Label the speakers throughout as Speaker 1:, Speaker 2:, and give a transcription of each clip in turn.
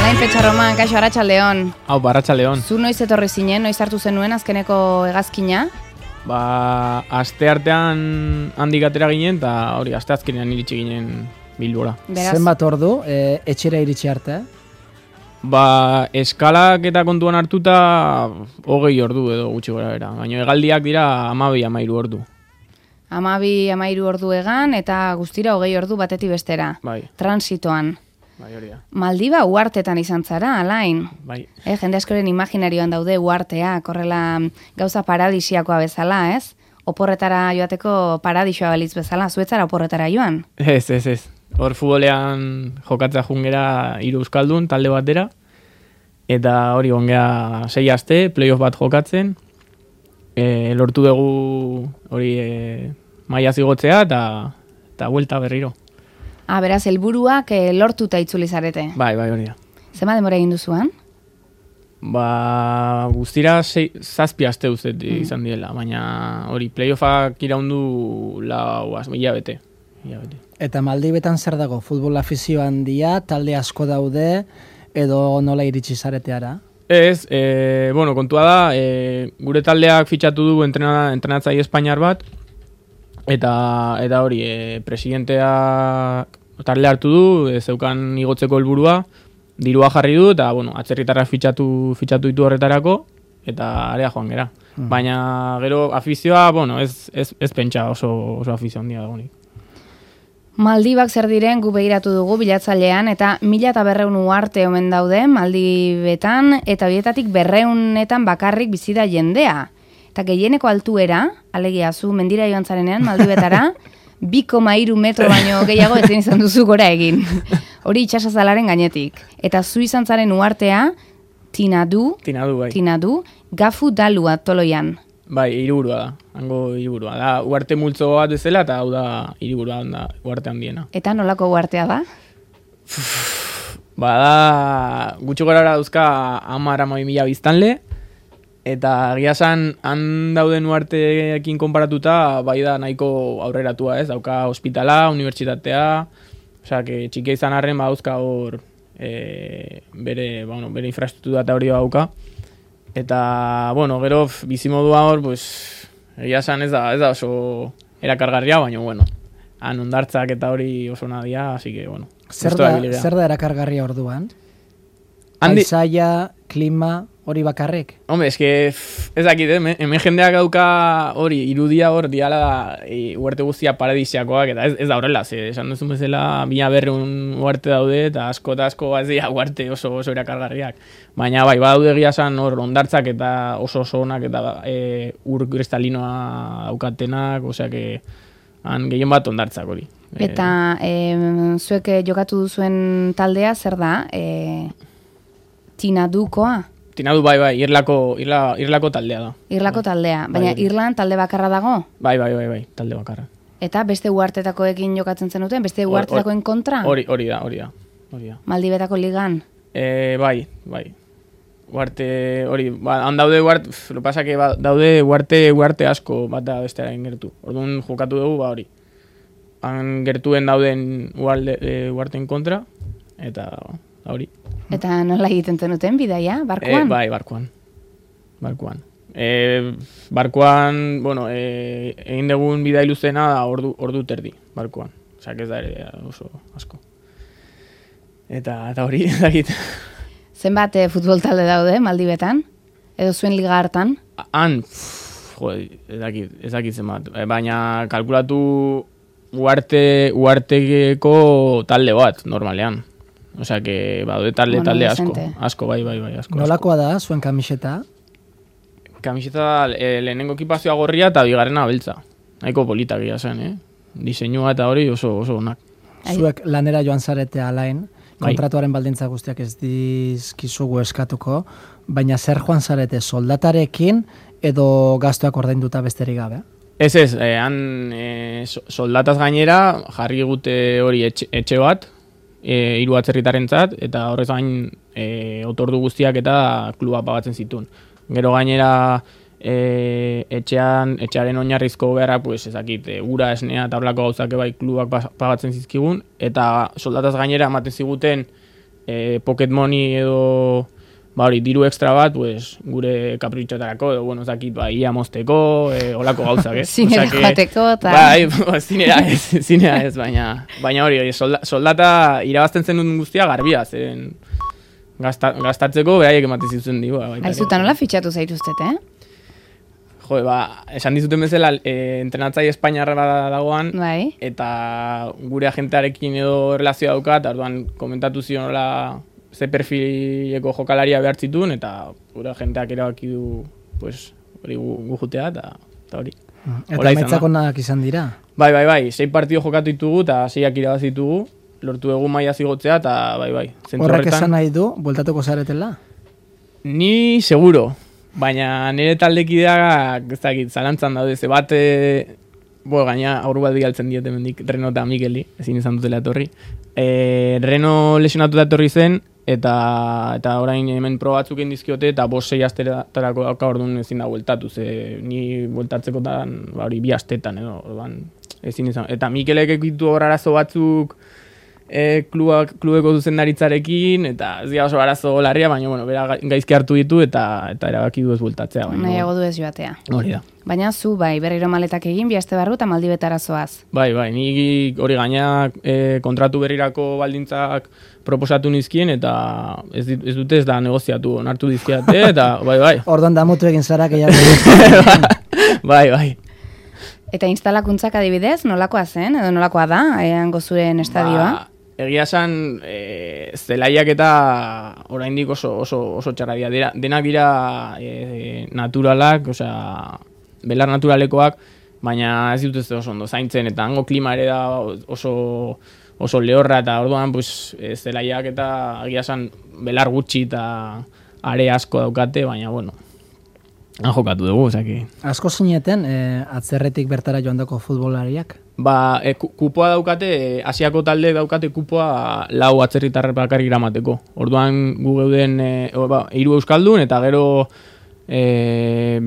Speaker 1: Alain Petxarroman, kaixo, arratsaldeon.
Speaker 2: Hau, arratsaldeon.
Speaker 1: Zu noiz etorri zinen, noiz hartu zenuen azkeneko hegazkina?
Speaker 2: Aste artean handik atera ginen, eta hori, aste azkenean iritsi ginen Bilbora.
Speaker 3: Zenbat ordu, etxera iritsi arte?
Speaker 2: Eskalak eta kontuan hartuta 20 ordu edo gutxi gora bera. Baina hegaldiak dira 12-13 ordu.
Speaker 1: 12-13 ordu egan eta guztira 20 ordu batetik bestera.
Speaker 2: Bai.
Speaker 1: Transitoan.
Speaker 2: Bai, hori da.
Speaker 1: Maldiba uhartetan izan zara, Alain.
Speaker 2: Bai.
Speaker 1: Jende askoren imaginarioan daude uharteak, horrela gauza paradisiakoa bezala, ez? Oporretara joateko paradisua balitz bezala, zuetzara oporretara joan?
Speaker 2: Ez. Hor futbolean jokatzea jungera 3 euskaldun talde batera, eta hori ongea 6 aste, playoff bat jokatzen, lortu dugu hori maila zigotzea eta buelta berriro.
Speaker 1: Beraz, helburuak lortuta itzuli zarete.
Speaker 2: Bai, hori da.
Speaker 1: Zema denbora egin duzuan?
Speaker 2: Guztira 7 aste uzet izan direla, baina hori playoffak iraundu 4 hilabete.
Speaker 3: Eta Maldibetan zer dago? Futbol afizio handia, talde asko daude, edo nola iritsi zareteara?
Speaker 2: Ez, kontua da, gure taldeak fitxatu du entrenatzaile espainiar bat, eta hori, presidentea talde hartu du, zeukan igotzeko helburua, dirua jarri du, eta atzerritarra fitxatu ditu horretarako, eta area joan gera. Baina gero afizioa, ez pentsa oso afizio handia dagoenik.
Speaker 1: Maldibak zer diren gu begiratu dugu bilatzailean, eta 1200 uharte omen daude Maldibetan, eta horietatik 200etan bakarrik bizi da jendea. Eta gehieneko altuera, alegia zu mendira joan zarenean Maldibetara, 2,3 metro baino gehiago ezin izan duzu gora egin. Hori itsasazalaren gainetik. Eta zu izan zaren uhartea, Tinadu, Gafu Dalua Toloian.
Speaker 2: Bai, hiriburua da, hango hiriburua da. Uarte multzo bat bezala, eta hau da hiriburua da, uarte handiena.
Speaker 1: Eta nolako uartea da?
Speaker 2: Da, gutxi gorara dauzka 10.000 biztanle, eta giasan han dauden uarteekin konparatuta, bai da nahiko aurreratua, ez? Dauka ospitala, unibertsitatea, osea, txikia izan arren dauzka hor bere infraestruktura eta hori dauka. Eta, gero bizimodua hor, egia esan ez da oso erakargarria, baina, han ondartzak eta hori oso nadia, así que,
Speaker 3: Zer da erakargarria orduan? Paisaia, klima, hori bakarrik?
Speaker 2: Hombre, ez dakit, hemen jendeak dauka hori, irudia hor, diala uarte guztia paradisiakoak, eta ez da horrela, esan duzun bezala 1200 uarte daude, eta asko ez dira uarte oso erakargarriak. Baina bai, badaude egia esan hor ondartzak eta oso onak, eta ur kristalinoa daukatenak, osea que han gehien bat ondartzak hori.
Speaker 1: Eta zuek jokatu duzuen taldea, zer da? Tinadukoa?
Speaker 2: Tinadu bai, irlako taldea da.
Speaker 1: Irlako taldea, baina Irlan talde bakarra dago?
Speaker 2: Bai, talde bakarra.
Speaker 1: Eta beste uhartetakoekin jokatzen zenuten, beste uhartetakoen kontra?
Speaker 2: Hori da.
Speaker 1: Maldibetako ligan?
Speaker 2: Bai. Uarte, hori, han daude uarte, lo pasa que daude uarte asko bat da bestearen gertu. Orduan jokatu dugu, hori. Han gertuen dauden uarten kontra, eta hori.
Speaker 1: Eta nola egiten zenuten bidaia, barkuan?
Speaker 2: Bai, barkuan. Barkuan, egin dugun bidai luzena da ordu terdi, barkuan. Osea, ez da ere oso asko. Eta hori, ez dakit.
Speaker 1: Zenbat futbol talde daude, Maldibetan? Edo zuen liga hartan?
Speaker 2: Han, ez dakit zenbat. Baina kalkulatu uarteko talde bat, normalean. Osea, que badaude talde asko, bai, asko.
Speaker 3: Nolakoa da, zuen kamiseta?
Speaker 2: Kamiseta da, lehenengo ekipazioa gorria eta bigarrena beltza. Nahiko polita gira zen, Diseinua eta hori oso onak.
Speaker 3: Zuek lanera joan zarete Alain, kontratuaren baldintza guztiak ez dizkizugu eskatuko, baina zer joan zarete, soldatarekin edo gastuak ordainduta besterik gabe?
Speaker 2: Ez, han soldataz gainera jarri gute hori etxe bat, 3 atzerritarentzat, eta horrez gain otordu guztiak eta kluba pagatzen zituen. Gero gainera etxearen oinarrizko beharra, ura, esnea eta horlako gauzak bai klubak pagatzen zizkigun, eta soldataz gainera ematen ziguten pocket money edo hori, diru extra bat, pues, gure kapritxotarako, edo, bueno, zakit, ia mozteko, olako gauzak,
Speaker 1: Zinera joateko, eta...
Speaker 2: Bai, zinera ez, baina hori, soldata irabazten zenun guztia garbia, zen gastatzeko beraiek ematen zituzen digu.
Speaker 1: Aizuta nola fitxatu zaituztet,
Speaker 2: Jo, esan dizuten bezala, entrenatzaile Espainiarra dagoan,
Speaker 1: bai.
Speaker 2: Eta gure agentearekin edo relazioa daukat, orduan komentatu zion nola ze perfileko jokalaria behar zituen, eta gure agenteak erabaki du, pues, hori gu jutea, eta hori.
Speaker 3: Eta emaitzak onak izan dira?
Speaker 2: Bai, 6 partido jokatu ditugu, eta 6ak irabazitugu, lortu egu maila zigotzea, eta bai.
Speaker 3: Horrek esan nahi du, bueltatuko zaretela?
Speaker 2: Ni seguro. Baina nire taldekideak, ez dakit, zalantzan daude, ze bat, gaina aurru bat bigaltzen diote mendik, Reno eta Mikeli, ezin izan dutela etorri. Reno lesionatu da etorri zen, eta orain hemen probatzuk egin dizkiote, eta 5-6 astetarako dauka orduan ezin da bueltatu, ze ni bueltatzekotan, 2 astetan, edo, orduan, ezin izan. Eta Mikelek ekitu hor arazo batzuk, klubeko zuzendaritzarekin, eta ez dira oso arazo larria, baina, bueno, bera gaizki hartu ditu, eta erabaki du ez bueltatzea.
Speaker 1: Nahiago du ez joatea.
Speaker 2: Hori da.
Speaker 1: Baina zu, berriro maletak egin, 2 aste barru, eta Maldibetara zoaz.
Speaker 2: Bai, ni hori gaina kontratu berrirako baldintzak proposatu nizkien, eta ez dute ez da negoziatu, onartu dizkiate, eta bai.
Speaker 3: Orduan damutu egin zara, gehiago.
Speaker 2: Bai.
Speaker 1: Eta instalakuntzak adibidez, nolakoa zen, edo nolakoa da, hango zuren estadioa?
Speaker 2: Egia esan, zelaiak eta oraindik oso txarra dira. Denak dira naturalak, belar naturalekoak, baina ez dut ez oso ondo zaintzen, eta hango klima ere da oso lehorra, eta orduan zelaiak eta egia esan belar gutxi eta are asko daukate, baina bueno, han jokatu dugu, osaki.
Speaker 3: Asko zineten, atzerretik bertara joandako futbolariak?
Speaker 2: Kupoa daukate, Asiako talde daukate kupoa 4 atzerritarrak bakarrik eramateko. Orduan gu geuden 3 euskaldun, eta gero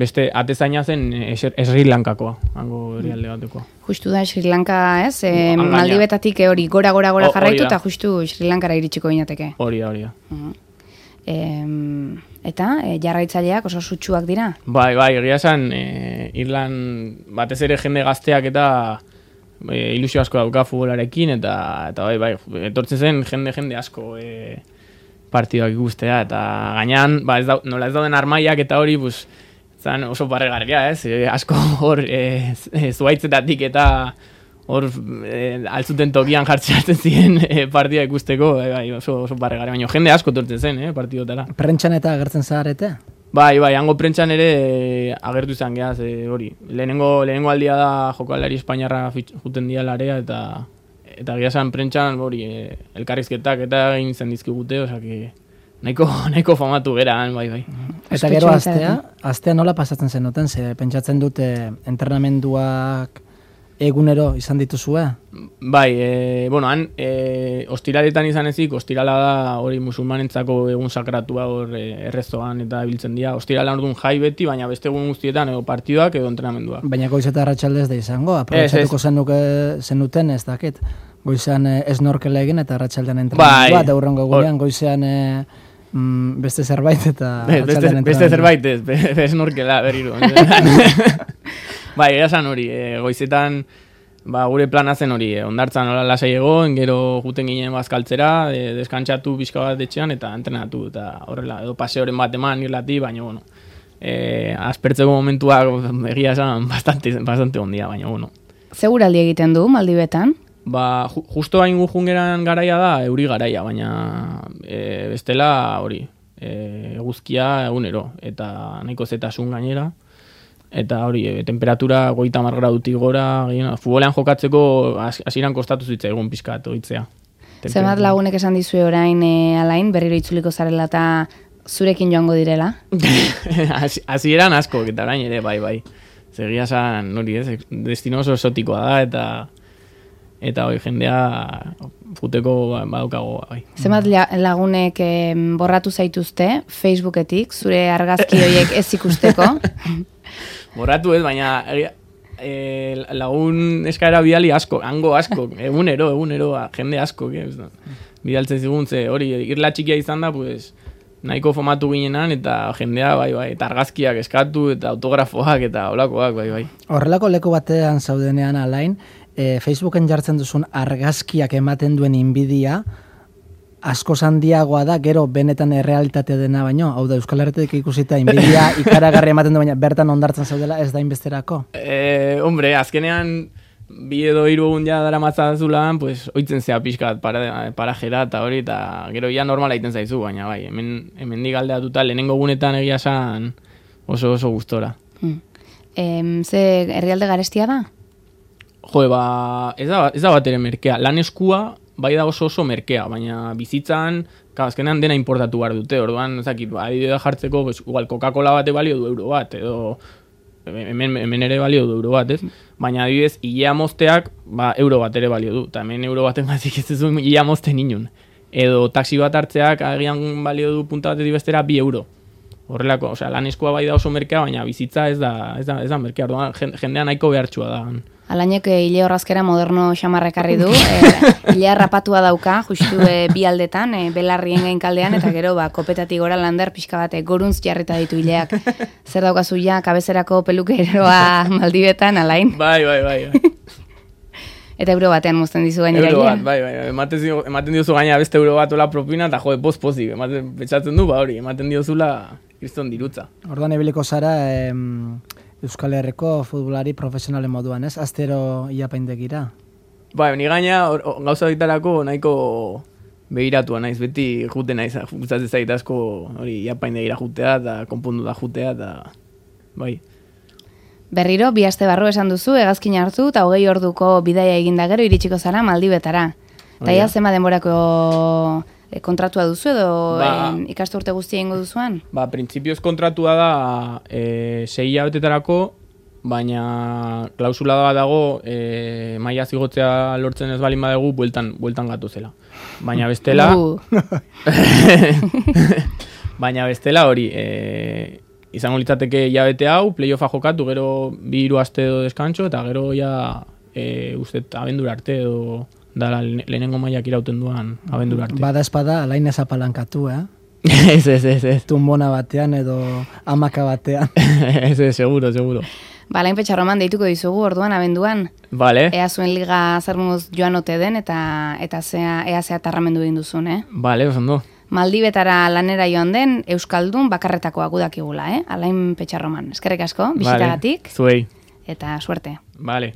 Speaker 2: beste atezaina zen Sri Lankakoa, hango herrialde batekoa.
Speaker 1: Justu da Sri Lanka, ez? Maldibetatik hori gora jarraitu, eta justu Sri Lankara iritsiko ginateke.
Speaker 2: Hori da.
Speaker 1: Eta jarraitzaileak oso sutsuak dira?
Speaker 2: Bai, egia esan, Irlan batez ere jende gazteak eta ilusio asko dauka futbolarekin, eta bai, etortzen zen jende asko partidoak ikustea, eta gainean, nola ez dauden armaiak eta hori, zan oso parregarria, ez? Asko hor zuaitzetatik eta hor altzuten tokian jartzen ziren partida ikusteko, oso parregarria, baina jende asko etortzen zen, partidotara.
Speaker 3: Prentxan eta agertzen zaharete?
Speaker 2: Bai, hango prentxan ere agertu izan geaz, hori. Lehenengo aldia da jokalari Espainiarra juten diala area, eta gehasan prentxan hori elkarrizketak eta egin zen dizkigute, osaki nahiko famatu gera, bai.
Speaker 3: Eta gero astea nola pasatzen zen noten, ze pentsatzen dute entrenamenduak egunero izan dituzue?
Speaker 2: Bai, han ostiraletan izan ezik, ostirala da hori musulmanentzako egun sakratua hor errezoan eta biltzen dira. Ostirala orduan jai beti, baina beste egun guztietan edo partiduak edo entrenamenduak.
Speaker 3: Baina goiz eta arratsaldez da izango, aprobetxatuko zenuten ez dakit. Goizan snorkela egin eta arratsaldean entrenamendua, eta hurrengo egunean goizean beste zerbait eta arratsaldean entrenamendua.
Speaker 2: Beste zerbait ez, snorkela berriro. Bai, esan hori, goizetan gure plana zen hori, ondartzan hola lasai egon, gero juten ginen bazkaltzera, deskantzatu pixka bat etxean eta entrenatu, eta horrela, edo paseoren bat eman irlati, baina, bueno, aspertzeko momentuak egia esan bastante ondia, baina, bueno.
Speaker 1: Seguraldi egiten du, Maldibetan?
Speaker 2: Justo hain gujungeran garaia da, euri garaia, baina bestela hori, eguzkia egunero, eta nahiko zetasun gainera. Eta hori, temperatura 30 gradutik gora, futbolean jokatzeko hasieran kostatu zitza egun pixkat oitzea.
Speaker 1: Zenbat lagunek esan dizue orain alain, berriro itzuliko zarela eta zurekin joango direla?
Speaker 2: Hasieran asko, eta orain ere, bai. Zegia esan, hori ez, destino oso esotikoa da, eta hori jendea futeko badaukago, bai.
Speaker 1: Zenbat lagunek borratu zaituzte Facebooketik, zure argazki horiek ez ikusteko?
Speaker 2: Borratu ez, baina lagun eskaera bidali asko, hango asko, egunero, jende asko, bidaltzen zigun, ze hori, irla txikia izan da, pues, nahiko fomatu ginenan, eta jendea, bai, eta argazkiak eskatu, eta autografoak, eta olakoak, bai.
Speaker 3: Horrelako leku batean zaudenean alain, Facebooken jartzen duzun argazkiak ematen duen inbidia, asko handiagoa da, gero benetan errealitatea dena baino, hau da Euskal Herritetik ikusita inbidia ikaragarri ematen du, baina bertan ondartzen zaudela ez da inbesterako?
Speaker 2: Hombre, azkenean, 2 edo 3 egun ja dara matzazulan, pues, oitzen zea pixkat parajera eta hori, eta gero ja normala egiten zaizu, baina bai, hemen digaldeatuta lehenengo gunetan egia esan oso gustora.
Speaker 1: Ze herrialde garestia da?
Speaker 2: Jo, ez da bat ere merkea, lan eskua, bai da oso merkea, baina bizitzan, azkenean dena importatu behar dute, orduan, ezakit, adibidea jartzeko, pues, igual Coca-Cola bate balio du euro bat, edo hemen ere balio du euro bat, ez? Baina adibidez, hilea mozteak, euro bat ere balio du, eta hemen euro baten gazik ez duzu hilea mozten inun. Edo taxi bat hartzeak, agian balio du punta batetik bestera 2 euro. Horrelako, osea, lan eskua bai da oso merkea, baina bizitza ez da merkea, orduan, jendea nahiko behartxua da.
Speaker 1: Alainek hile horrazkera moderno xamarrekarri du, hilea rapatua dauka, justu 2 aldetan, belarrien gainkaldean, eta gero kopetatik gora lander pixka bat goruntz jarrita ditu hileak. Zer daukazu ja, kabezerako pelukeroa Maldibetan, Alain?
Speaker 2: Bai.
Speaker 1: Eta euro batean mozten dizu gainera hilea?
Speaker 2: Euro bat, bai. Ematen diozu gaina beste euro bat ola propina, eta jode, pozik, betxatzen du, hori, ematen diozula kriston dirutza.
Speaker 3: Orduan ebiliko zara, Euskal Herriko futbolari profesionalen moduan, ez? Astero iapaindegira.
Speaker 2: Bai, ni gaina gauza bitarako nahiko begiratua naiz, beti jute naiz, gustatzen zait asko hori iapaindegira jutea eta konpondu da jutea eta bai.
Speaker 1: Berriro 2 aste barru esan duzu, hegazkin hartu eta 20 orduko bidaia eginda gero iritsiko zara Maldibetara. Eta ia zema denborako kontratua duzu edo ikasturte guztia egingo duzuan?
Speaker 2: Printzipioz kontratua da 6 hilabetetarako, baina klausula da dago maila zigotzea lortzen ez balin badugu bueltan gatuzela. Baina bestela hori izango litzateke hilabete hau, playoffa jokatu, gero 2-3 aste edo deskantxo, eta gero ja ustet abendura arte edo da lehenengo mailak irauten duan abendura arte.
Speaker 3: Bada espada, Alain ez apalankatu,
Speaker 2: Ez.
Speaker 3: Tumbona batean edo amaka batean.
Speaker 2: Ez, seguro.
Speaker 1: Alain Petxarroman deituko dizugu orduan abenduan.
Speaker 2: Vale.
Speaker 1: Ea zuen liga zermuz joan ote den eta ea zea tarramendu egin duzun,
Speaker 2: Vale, osondo.
Speaker 1: Maldibetara lanera joan den Euskaldun bakarretakoa gudakigula, Alain Petxarroman. Eskerrik asko, bisitagatik.
Speaker 2: Vale, zuei.
Speaker 1: Eta suerte.
Speaker 2: Vale.